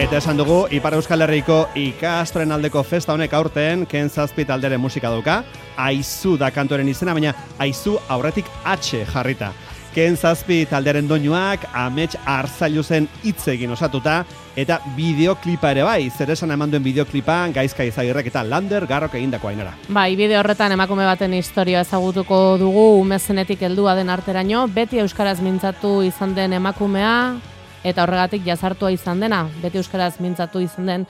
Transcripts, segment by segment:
Eta esan dugu, Ipar Euskal Herriko ikastoren aldeko festa honek aurten Ken Zazpi talderen musika dauka. Aizu da kantoren izena, baina Aizu aurretik H jarrita. Ken Zazpi talderen doinuak Amets Arzailuzen hitz egin osatuta eta bideoklipa ere bai, zer esan eman duen bideoklipan Gaizka Izagirrek eta Lander Garrok egindako Ainara. Bai, bideo horretan emakume baten historia ezagutuko dugu, umezenetik heldua den arteraino, beti euskaraz mintzatu izan den emakumea eta horregatik jazartua izan dena, beti euskaraz mintzatu izan den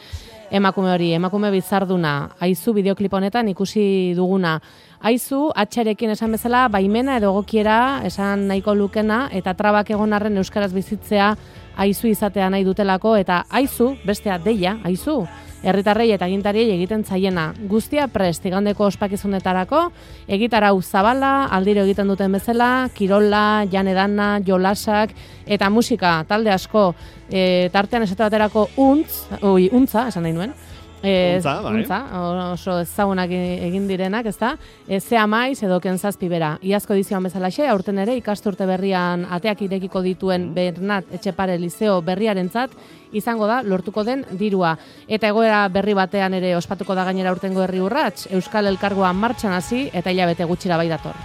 emakume hori, emakume bizarduna, Aizu bideoklip honetan ikusi duguna. Aizu, atxarekin esan bezala, baimena edo egokiera esan nahiko lukena, eta trabak egon arren euskaraz bizitzea Aizu izatea nahi dutelako, eta Aizu, bestea deia, Aizu, herritarrei eta agintariei egiten zaiena. Guztia prest, igandeko ospakizunetarako, egitarau zabala, aldiro egiten duten bezala, kirola, janedana, jolasak, eta musika, talde asko, tartean esate baterako untza, esan nahi nuen, untza, oso ezagunak egin direnak, ezta? Zea maiz edo Ken Zazpi bera. Iazko edizioan bezalaxe, aurten ere ikasturte berrian ateak irekiko dituen Bernat Etxepare Lizeo berriarentzat izango da lortuko den dirua. Eta egoera berri batean ere ospatuko da gainera aurtengo herri urrats, Euskal Elkargoa martxan hasi eta hilabete gutxira bai dator.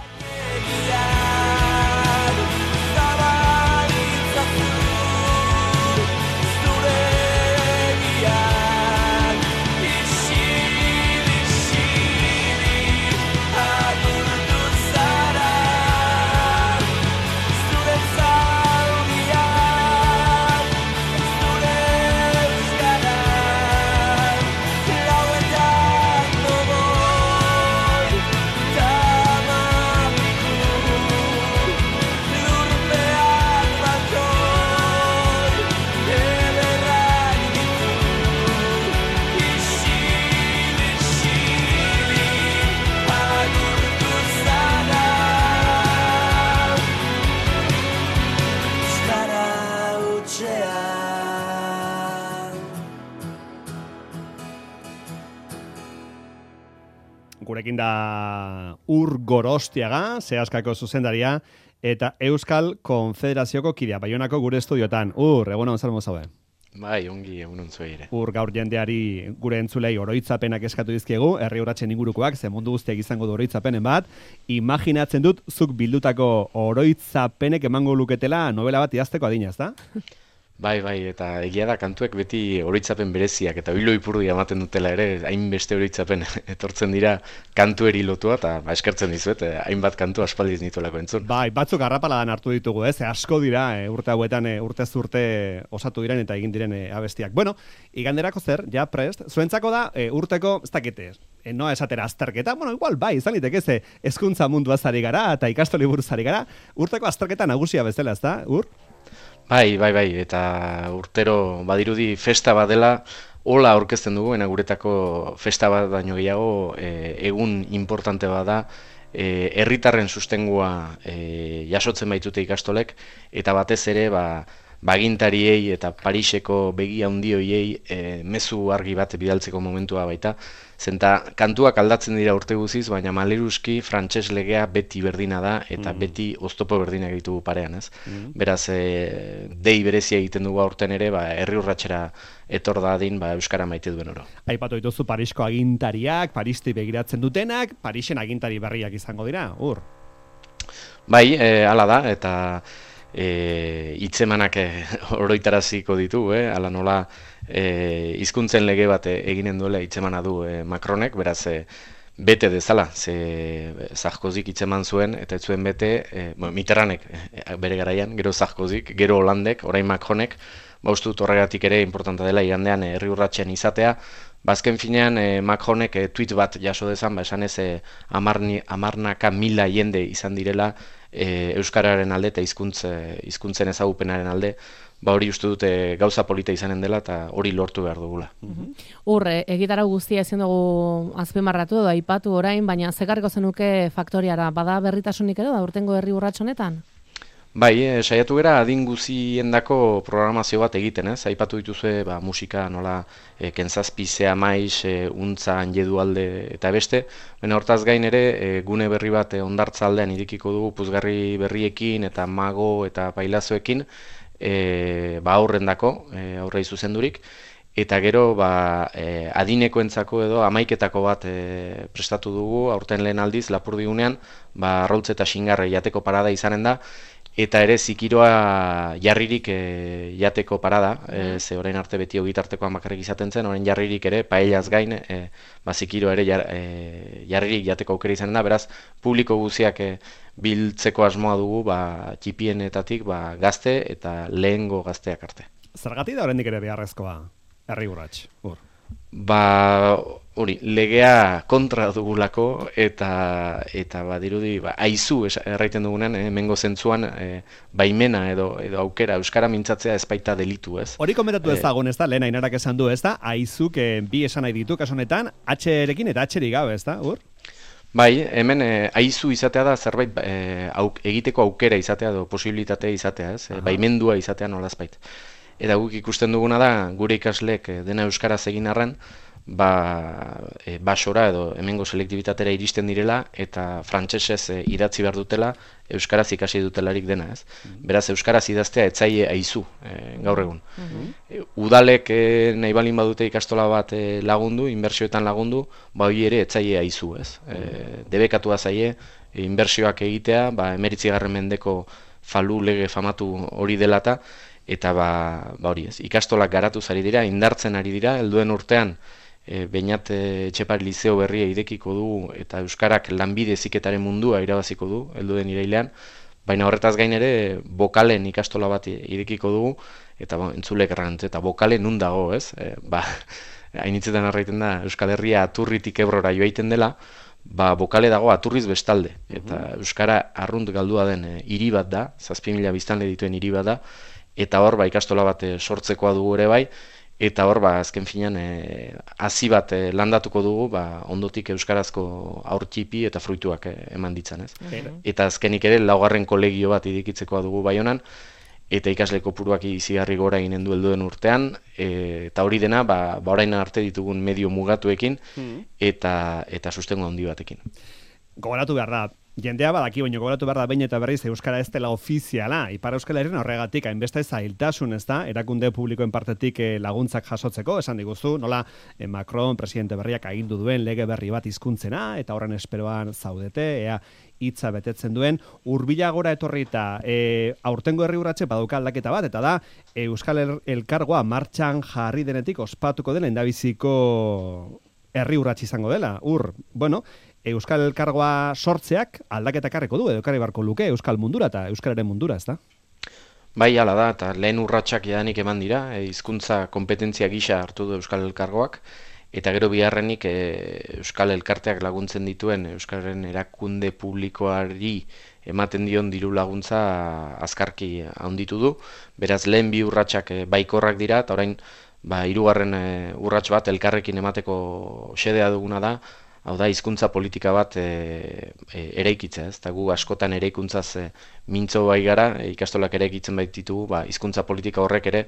Gurekin da Ur Gorostiaga, Seaskako zuzendaria, eta Euskal Konfederazioko kidea, Baionako gure estudiotan. Ur, egunon zer mozaude? Bai, ongi egunon zuei ere. Ur, gaur jendeari gure entzulei oroitzapenak eskatu dizkiegu, herri urratsen ingurukoak, ze mundu guztiak izango du oroitzapenen bat. Imaginatzen dut, zuk bildutako oroitzapenek emango luketela novela bat idazteko adina, ezta? Bai, eta egia da kantuek beti oroitzapen bereziak eta oilo ipurdia ematen dutela ere, hainbeste oroitzapen etortzen dira kantueri lotua, eta eskertzen dizuet, hainbat kantu aspaldiz nituelako entzun. Bai, batzuk garrapaladan hartu ditugu, asko dira urte hauetan urtez urte osatu diren eta egin diren abestiak. Bueno, iganderako zer, ja prest, zuentzako da urteko, ez dakite, noa esatera azterketa, bueno, igual bai, izan liteke ze hezkuntza munduaz ari gara eta ikastoli buruz ari gara, urteko azterketa nagusia bezala, ezta, Ur? Bai, eta urtero badirudi festa bat dela, hola aurkezten dugu, guretako festa bat baino gehiago, egun importante bat da, herritarren sustengua jasotzen baitute ikastolek, eta batez ere, bagintariei eta Pariseko begi handi hoiei mezu argi bat bidaltzeko momentua baita. Zenta kantuak aldatzen dira urte guziz, baina maleruski frantses legea beti berdina da eta beti oztopo berdinak ditugu parean, ez? Beraz, dei berezia egiten dugu aurten ere, herri urratsera etor dadin euskara maite duen oro. Aipatu dituzu Parisko agintariak, Paristi begiratzen dutenak, Parisen agintari berriak izango dira, Ur? Bai, hala da, eta hitzemanak oroitaraziko ditu, ala nola hizkuntzen lege bat eginen duela hitzemana du Macronek, beraz bete dezala, ze Sarkozyk hitzeman zuen, eta ez zuen bete, Mitterrandek bere garaian, gero Sarkozyk, gero Hollandek, orain Macronek, uste dut horregatik ere importanta dela igandean herri urratsen izatea. Bazken finean Macronek tweet bat jaso dezan, esan ez hamarnaka mila jende izan direla euskararen alde eta hizkuntzen ezagupenaren alde, hori uste dute gauza polita izanen dela eta hori lortu behar dugula. Urre, egitarau guztia ezin dugu azpimarratu edo aipatu orain, baina zekarriko zenuke faktoriara, bada berritasunik edo da urtengo herri urrats honetan? Bai, saiatu gara adin guziendako programazio bat egiten, ez? Aipatu dituzue musika nola Ken Zazpi, Zea maiz, Untza, Anjedu alde eta beste. Baina hortaz gain ere gune berri bat Hondartza aldean irekiko dugu puzgarri berriekin eta mago eta pailazoekin aurrendako, aurrei zuzendurik. eta gero adinekoentzako edo amaiketako bat prestatu dugu, aurten lehen aldiz Lapurdigunean, arrautz eta xingarre jateko parada izanen da, eta ere zikiroa jarririk jateko parada, ze orain arte beti ogitartekoan bakarrik izaten zen, orain jarririk ere, paellaz gain, zikiro ere jarririk jateko aukera izanen da, beraz, publiko guziak biltzeko asmoa dugu, txipienetatik gazte eta lehengo gazteak arte. Zergatik da oraindik ere beharrezkoa, herri urrats, hori, legea kontra dugulako eta badirudi aizu erraiten dugunean, hemengo zentzuan baimena edo aukera euskara mintzatzea ez baita delitu, ez? Hori komentatu ezagun, ez da, lehen Ainarak esan du, ez da, aizuk bi esan nahi ditu, kasu honetan, H-rekin eta H-rik gabe, ez da, Bai, hemen aizu izatea da zerbait egiteko aukera izatea edo posibilitatea izatea, ez? Baimendua izatea nolazbait. Eta guk ikusten duguna da, gure ikasleek dena euskaraz egin arren, basora edo hemengo selektibitatera iristen direla eta frantsesez idatzi behar dutela, euskaraz ikasi dutelarik dena, ez? Beraz, euskaraz idaztea etzaile aizu gaur egun. Udalek nahi balin badute ikastola bat lagundu, inbertsioetan lagundu, hori ere etzaile aizu, ez? Debekatua zaie, inbertsioak egitea, 19. mendeko falu lege famatu hori delata, eta hori ez, ikastolak garatuz ari dira, indartzen ari dira, helduen urtean, Beñat Etxepare Lizeo berria irekiko du eta euskarak lanbide heziketaren mundua irabaziko du heldu den irailean, baina horretaz gain ere bokalen ikastola bat irekiko dugu eta entzulek errantz eta bokale nun dago, ez? Hainitzetan arraiten da Euskal Herria Aturritik Ebrora joaiten dela, bokale dago Aturriz bestalde eta euskara arrunt galdua den hiri bat da, 7.000 biztanle dituen hiri bat da, eta hor ikastola bat sortzekoa dugu ere bai. Eta hor, azken finean, hazi bat landatuko dugu, ondotik euskarazko aurtxipi eta fruituak eman ditzan, ez? Eta azkenik ere, 4. kolegio bat idikitzekoa dugu Baionan, eta ikasle kopuruak izigarri gora eginen du helduen urtean, eta hori dena, orain arte ditugun medio mugatuekin, eta sustengo handi batekin. Gogoratu behar da, jendea badaki, baina gogoratu behar da behin eta berriz euskara ez dela ofiziala. Ipar Euskal Herrian horregatik, hainbeste zailtasun, ez da, erakunde publikoen partetik laguntzak jasotzeko, esan diguzu, nola Macron, presidente berriak agindu duen lege berri bat hizkuntzena, eta horren esperoan zaudete, ea hitza betetzen duen, hurbilagora etorri eta aurtengo herri urratxe badauka aldaketa bat, eta da, Euskal Elkargoa martxan jarri denetik ospatuko dela endabiziko herri urratxe izango dela. Euskal Elkargoa sortzeak aldaketa ekarriko du, edo ekarri barko luke Euskal mundura eta Euskararen mundura, ez da? Bai, hala da, eta lehen urratsak jadanik eman dira, hizkuntza kompetentzia gisa hartu du Euskal Elkargoak, eta gero biharrenik Euskal Elkarteak laguntzen dituen Euskararen erakunde publikoari ematen dion diru laguntza azkarki handitu du, beraz lehen bi urratsak baikorrak dira, eta orain 3. urrats bat elkarrekin emateko xedea duguna da, hau da, hizkuntza politika bat eraikitzea, ez? Eta gu askotan eraikuntzaz mintzo bai gara, ikastolak eraikitzen baititugu, hizkuntza politika horrek ere,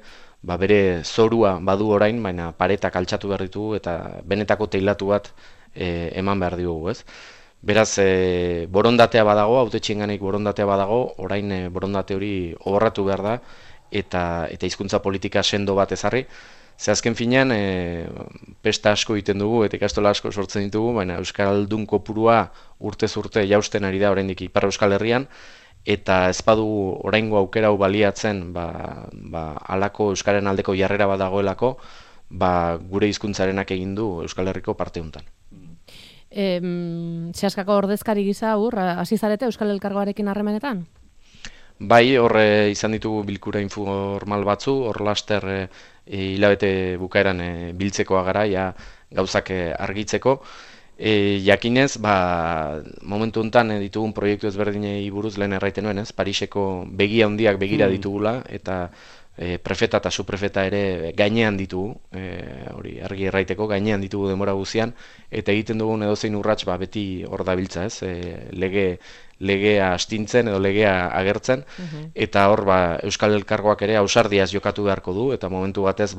bere zorua badu orain, baina paretak altxatu behar ditugu eta benetako teilatu bat eman behar ditugu, ez? Beraz, borondatea badago, hautetxienganik borondatea badago, orain borondate hori oborratu behar da, eta hizkuntza politika sendo bat ezarri. Ze azken finean, pesta asko egiten dugu eta ikastola asko sortzen ditugu, baina Euskaldun kopurua urtez urte jausten ari da oraindik Ipar Euskal Herrian, eta ez badugu oraingo aukera hau baliatzen, halako Euskaren aldeko jarrera bat dagoelako, gure hizkuntzarenak egin du Euskal Herriko parte hontan. Zehaskako ordezkari gisa hasi zarete Euskal Elkargoarekin harremanetan? Bai, hor izan ditugu bilkura informal batzu, hor laster hilabete bukaeran biltzekoa gara, gauzak argitzeko. Jakinez, momentu honetan ditugun proiektu ezberdinei buruz lehen erraiten nuen, Pariseko begia handiak begira ditugula, eta prefeta eta subprefeta ere gainean ditugu, hori argi erraiteko, gainean ditugu denbora guzian, eta egiten dugun edozein urrats beti hor dabiltza, legea astintzen edo legea agertzen, eta hor Euskal Elkargoak ere ausardiaz jokatu beharko du, eta momentu batez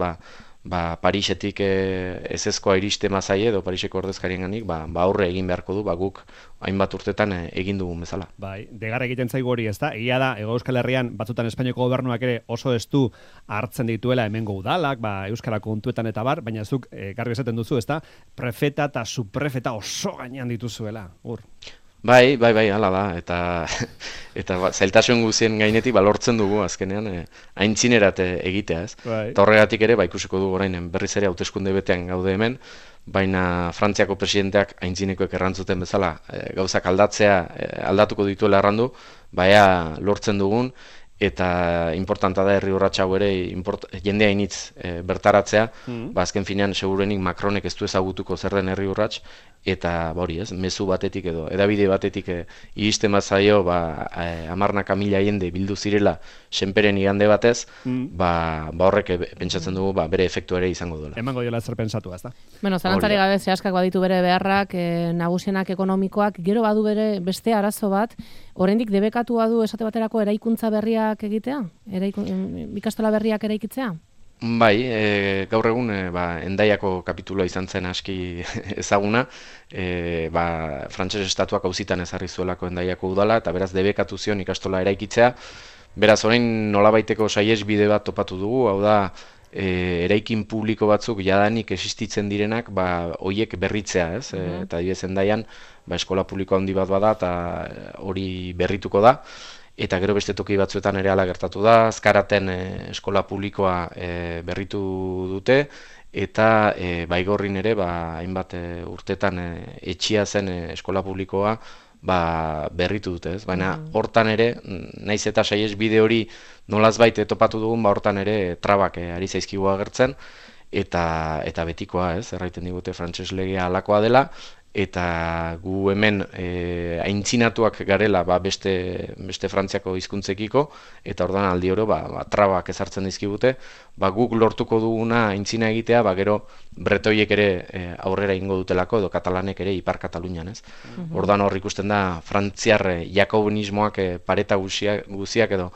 Parisetik ezezkoa iriste mazaie edo Pariseko ordezkarienganik aurre egin beharko du, guk hainbat urtetan egin dugun bezala. Bai, degar egiten zaigu hori, ezta? Egia da, Hego Euskal Herrian batzutan Espainiako gobernuak ere oso estu hartzen dituela hemengo udalak, euskara kontuetan eta bar, baina zuk garbi esaten duzu, ezta? Prefeta eta subprefeta oso gainean dituzuela, Bai, hala da, eta zailtasun guzien gainetik lortzen dugu azkenean aintzinerat egitea, ez? Bai. Eta horregatik ere, ikusiko dugu orain berriz ere hauteskunde betean gaude hemen, baina Frantziako presidenteak aintzinekoek errantzuten bezala gauzak aldatuko dituela errandu, lortzen dugun, eta importanta da herri urratsa hau ere jendea initz bertaratzea, azken finean segurenik Macronek ez du ezagutuko zer den herri urrats, eta hori ez, mezu batetik edo edabide batetik iristen bazaio hamarnaka mila jende bildu zirela senperen igande batez, horrek pentsatzen dugu bere efektu ere izango duela. Emango diola zer pensatu, ezta? Bueno, zalantzari gabe zehaskak baditu bere beharrak, nagusienak ekonomikoak, gero badu bere beste arazo bat, oraindik debekatua du esate baterako eraikuntza berriak egitea? Ikastola berriak eraikitzea? Bai, gaur egun Hendaiako kapitulua izan zen aski ezaguna, frantses estatuak auzitan ezarri zuelako Hendaiako udala, eta beraz debekatu zion ikastola eraikitzea. Beraz, orain nolabaiteko saihesbide bat topatu dugu, hau da, eraikin publiko batzuk jadanik existitzen direnak, hoiek berritzea, ez? Eta adibidez Hendaian, eskola publiko handi bat bada, eta hori berrituko da. Eta gero beste toki batzuetan ere hala gertatu da, Azkaraten eskola publikoa berritu dute, eta Baigorrin ere hainbat urtetan etxia zen eskola publikoa berritu dute, ez? Baina hortan ere, naiz eta saihesbide hori nolazbait topatu dugun, hortan ere trabak ari zaizkigu agertzen, eta betikoa, ez? Erraiten digute frantses legea halakoa dela, eta gu hemen aintzinatuak garela beste Frantziako hizkuntzekiko, eta orduan aldi oro trabak ezartzen dizkigute, guk lortuko duguna aintzina egitea, gero bretoiek ere aurrera ingo dutelako, edo katalanek ere Ipar Katalunian, ez? Orduan hor ikusten da frantziar jakobinismoak pareta guziak edo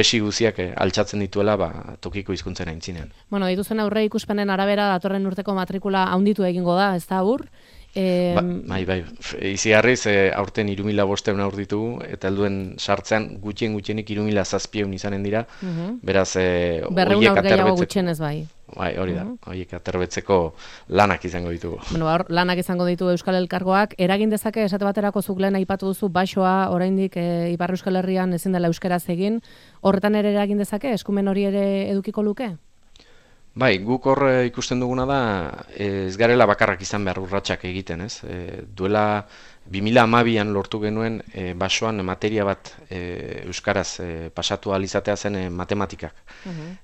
esi guziak altxatzen dituela tokiko hizkuntzen aintzinean. Bueno, dituzen aurre ikuspenen arabera datorren urteko matrikula handitu egingo da, ez da aur? Bai, izigarriz aurten 3.500 aur ditugu, eta helduen sartzean gutxienik 3.700 izanen dira, beraz berreun aur gehiago gutxienez bai. Bai, hori da, horiek aterbetzeko lanak izango ditugu. Bueno, lanak izango ditu Euskal Elkargoak, eragin dezake esate baterako zuk lehen aipatu duzu basoa oraindik Ipar Euskal Herrian ezin dela euskaraz egin, horretan ere eragin dezake, eskumen hori ere edukiko luke? Bai, guk hor ikusten duguna da, ez garela bakarrak izan behar urratsak egiten, ez? Duela 2012an lortu genuen basoan materia bat euskaraz pasatu ahal izatea zen matematikak.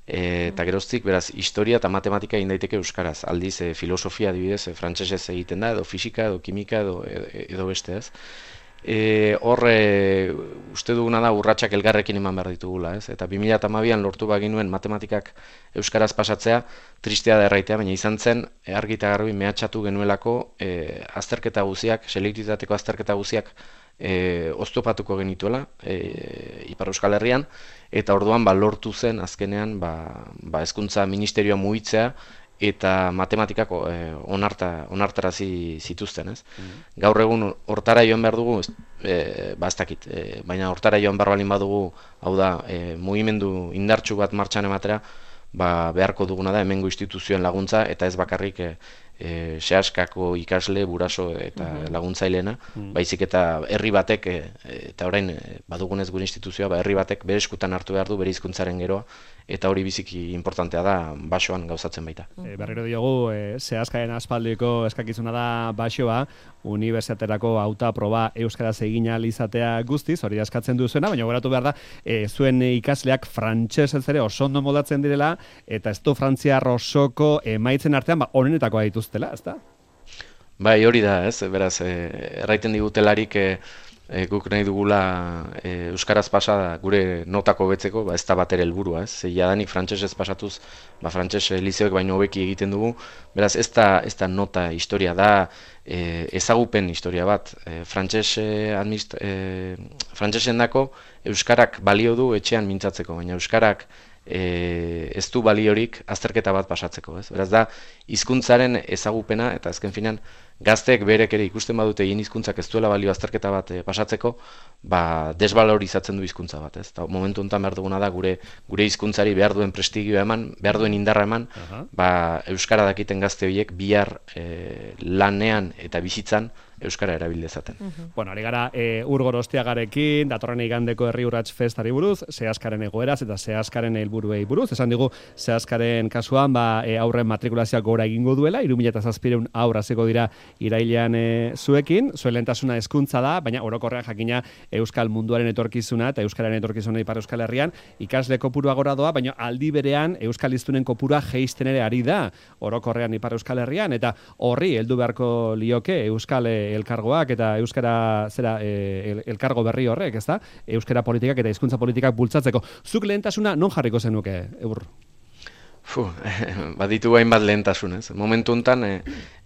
Eta geroztik, beraz, historia eta matematika egin daiteke euskaraz. Aldiz, filosofia adibidez, frantsesez egiten da, edo fisika, edo kimika, edo beste, ez? Hor uste duguna da urratsak elgarrekin eman behar ditugula, ez? Eta 2012an lortu baginuen matematikak euskaraz pasatzea, tristea da erraitea, baina izan zen argi eta garbi mehatxatu genuelako azterketa guziak, selektitateko azterketa guziak oztopatuko genituela Ipar Euskal Herrian, eta orduan lortu zen azkenean hezkuntza ministerioa mugitzea, eta matematikako onartarazi zituzten, ez? Gaur egun hortara joan behar dugu, ez dakit, baina hortara joan behar balin badugu, hau da, mugimendu indartsu bat martxan ematera, beharko duguna da hemengo instituzioen laguntza, eta ez bakarrik sehaskako ikasle, buraso eta laguntzaileena, baizik eta herri batek, eta orain badugunez gure instituzioa, herri batek bere eskutan hartu behar du bere hizkuntzaren geroa, eta hori biziki importantea da basoan gauzatzen baita. Berriro diogu, sehaskaren aspaldiko eskakizuna da basoa, unibertsitaterako hautaproba euskaraz egin ahal izatea guztiz, hori askatzen duzuena, baina goratu behar da, zuen ikasleak frantsesez ere oso ondo moldatzen direla, eta ez du frantziar osoko emaitzen artean, onenetakoa dituztela, ez da? Bai, hori da, ez? Beraz, erraiten digutelarik guk nahi dugula euskaraz pasa gure notako betzeko, ez da bat ere helburua, ez? Jadanik frantsesez pasatuz, frantses lizeoek baino hobeki egiten dugu, beraz, ez da nota historia da, ezagupen historia bat. Frantsesendako euskarak balio du etxean mintzatzeko, baina euskarak ez du baliorik azterketa bat pasatzeko, ez? Beraz da, hizkuntzaren ezagupena, eta azken finean, gazteek berek ere ikusten badute egin hizkuntzak ez duela balio azterketa bat pasatzeko, desbalorizatzen du hizkuntza bat, ez? Ta momentu honetan behar duguna da gure hizkuntzari behar duen prestigioa eman, behar duen indarra eman, euskara dakiten gazte horiek bihar lanean eta bizitzan euskara erabil dezaten. Bueno, ari gara Ur Gorostiagarekin, datorren igandeko Herri Urrats Festari buruz, Seaskaren egoeraz eta Seaskaren helburuei buruz. Esan digu Seaskaren kasuan aurren matrikulazioak gora egingo duela, 3700 haur hasiko dira irailean zuekin. Zuen lehentasuna hezkuntza da, baina orokorrean jakina euskal munduaren etorkizuna eta euskararen etorkizuna Ipar Euskal Herrian ikasle kopurua gora doa, baina aldi berean euskal hiztunen kopurua jeisten ere ari da orokorrean Ipar Euskal Herrian, eta horri heldu beharko lioke euskal elkargoak eta euskara elkargo berri horrek, ezta? Euskara politikak eta hizkuntza politikak bultzatzeko. Zuk lehentasuna non jarriko zenuke, Eur? Baditu hainbat lehentasun, ez? Momentu honetan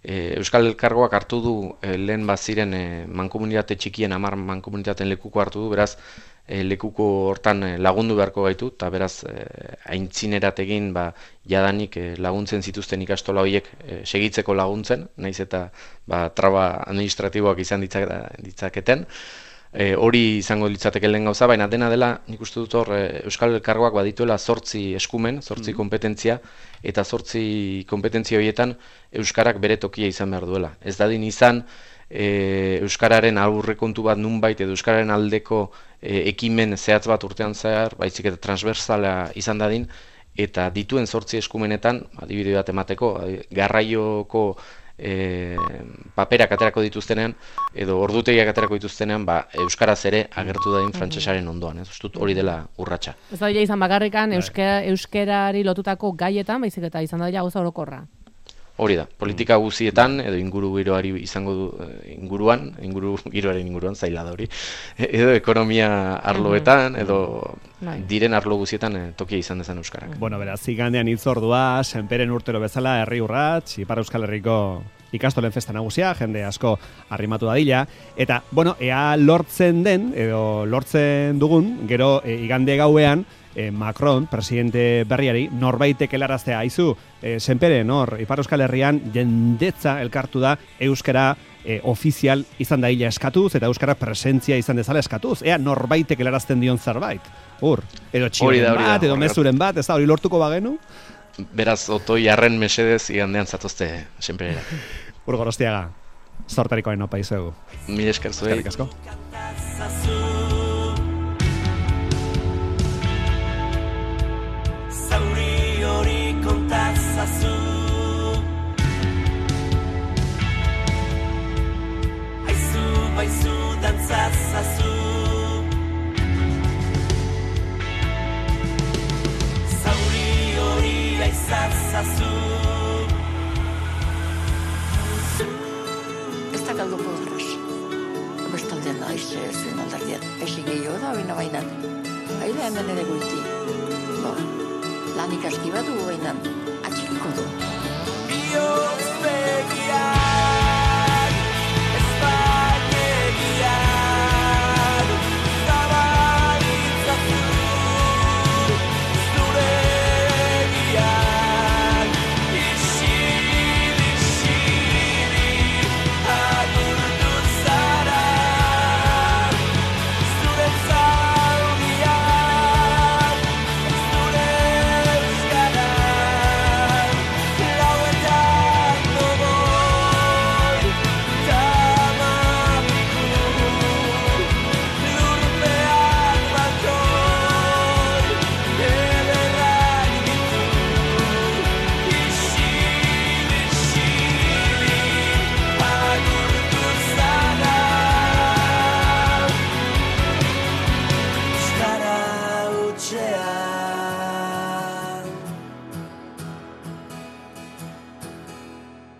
euskal elkargoak hartu du lehen baziren mankomunitate txikien 10 mankomunitateen lekuko hartu du, beraz lekuko hortan lagundu beharko gaitu, eta beraz aintzinerat egin jadanik laguntzen zituzten ikastola horiek segitzeko laguntzen, naiz eta traba administratiboak izan ditzaketen. Hori izango litzateke lehen gauza, baina dena dela, nik uste dut hor euskal elkargoak badituela 8 eskumen, 8 kompetentzia, eta 8 kompetentzia horietan euskarak bere tokia izan behar duela. Ez dadin izan euskararen aurrekontu bat nunbait edo euskararen aldeko ekimen zehatz bat urtean zehar, baizik eta transversala izan dadin, eta dituen 8 eskumenetan, adibide bat emateko, garraioko paperak aterako dituztenean edo ordutegiak aterako dituztenean euskaraz ere agertu dadin frantsesaren ondoan, ez dut hori dela urratsa. Ez da izan bakarrikan euskerari lotutako gaietan, baizik eta izan da gauza orokorra. Hori da, politika guzietan edo inguru giroari izango du inguru giroaren inguruan zaila da hori, edo ekonomia arloetan edo diren arlo guzietan tokia izan dezan euskarak. Bueno, beraz, igandean hitzordua, senperen urtero bezala Herri Urrats, Ipar Euskal Herriko ikastolen festa nagusia, jende asko arrimatu dadila, eta, bueno, ea lortzen den, edo lortzen dugun, gero igande gauean, Macron, presidente berriari, norbaitek helaraztea aizu, senperen hor, Ipar Euskal Herrian jendetza elkartu da euskara ofizial izan daila eskatuz, eta euskara presentzia izan dezala eskatuz, ea norbaitek helarazten dion zerbait. Edo txiren bat, edo mezuren bat, ez da, hori lortuko bagenu? Beraz, otoi arren mesedez igandean zatozte senperera. Ur Gorostiaga, zortarikoen opa izuegu. Mil esker zuei. Eskerrik asko. Zauri hori kontazazu, aizu baizu dantzazazu, zauri hori aizazazu. Ez da galduko dut. Bestaldean da, zuen aldardian. Esi gehiago da, bainan. Haida hemen ere guiti. Lan ikaski bat du bainan. Atxikiko du.